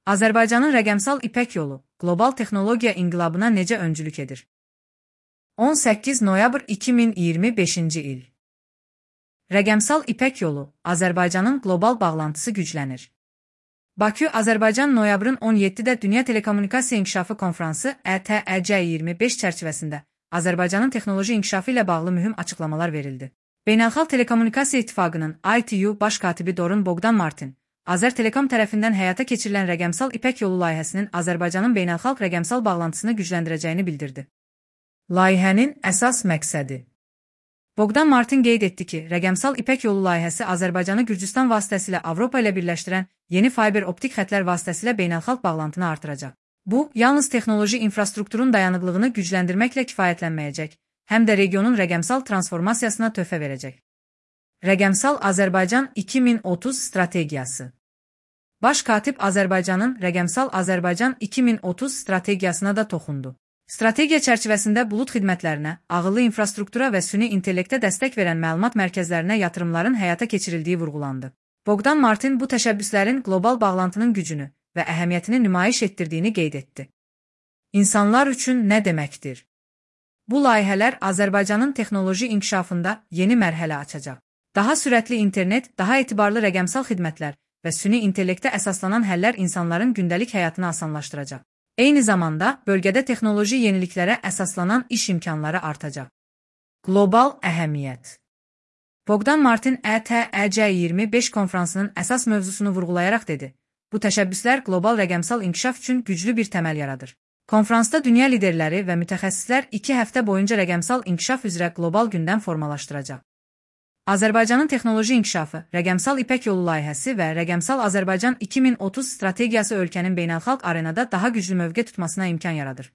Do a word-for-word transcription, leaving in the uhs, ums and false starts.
Azərbaycanın rəqəmsal İpək yolu, qlobal texnologiya inqilabına necə öncülük edir? on səkkiz noyabr iki min iyirmi beşinci il. Rəqəmsal İpək yolu, Azərbaycanın qlobal bağlantısı güclənir. Bakı, Azərbaycan noyabrın on yeddidə Dünya Telekommunikasiya İnkişafı Konfransı E T E C iyirmi beş çərçivəsində Azərbaycanın texnoloji inkişafı ilə bağlı mühüm açıqlamalar verildi. Beynəlxalq Telekommunikasiya İttifaqının I T U baş katibi Dorun Bogdan Martin, Azərtelekom tərəfindən həyata keçirilən rəqəmsal İpək yolu layihəsinin Azərbaycanın beynəlxalq rəqəmsal bağlantısını gücləndirəcəyini bildirdi. Layihənin əsas məqsədi. Bogdan Martin qeyd etdi ki, rəqəmsal İpək yolu layihəsi Azərbaycanı Gürcüstan vasitəsilə Avropa ilə birləşdirən yeni fiber optik xətlər vasitəsilə beynəlxalq bağlantını artıracaq. Bu, yalnız texnoloji infrastrukturun dayanıqlığını gücləndirməklə kifayətlənməyəcək, həm də regionun rəqəmsal transformasiyasına töhfə verəcək. Rəqəmsal Azərbaycan iki min otuz strategiyası. Baş katib Azərbaycanın Rəqəmsal Azərbaycan iki min otuz strategiyasına da toxundu. Strategiya çərçivəsində bulud xidmətlərinə, ağıllı infrastruktura və süni intellektə dəstək verən məlumat mərkəzlərinə yatırımların həyata keçirildiyi vurğulandı. Bogdan Martin bu təşəbbüslərin qlobal bağlantının gücünü və əhəmiyyətini nümayiş etdirdiyini qeyd etdi. İnsanlar üçün nə deməkdir? Bu layihələr Azərbaycanın texnoloji inkişafında yeni mərhələ açacaq. Daha sürətli internet, daha etibarlı rəqəmsal xidmətlər və süni intellektə əsaslanan həllər insanların gündəlik həyatını asanlaşdıracaq. Eyni zamanda, bölgədə texnoloji yeniliklərə əsaslanan iş imkanları artacaq. Qlobal əhəmiyyət. Bogdan Martin E T E C iyirmi beş konfransının əsas mövzusunu vurğulayaraq dedi, bu təşəbbüslər qlobal rəqəmsal inkişaf üçün güclü bir təməl yaradır. Konfransda dünya liderləri və mütəxəssislər iki həftə boyunca rəqəmsal inkişaf üzrə qlobal gündəm formalaşdıracaq. Azərbaycanın texnoloji inkişafı, rəqəmsal İpək yolu layihəsi və rəqəmsal Azərbaycan iki min otuz strategiyası ölkənin beynəlxalq arenada daha güclü mövqe tutmasına imkan yaradır.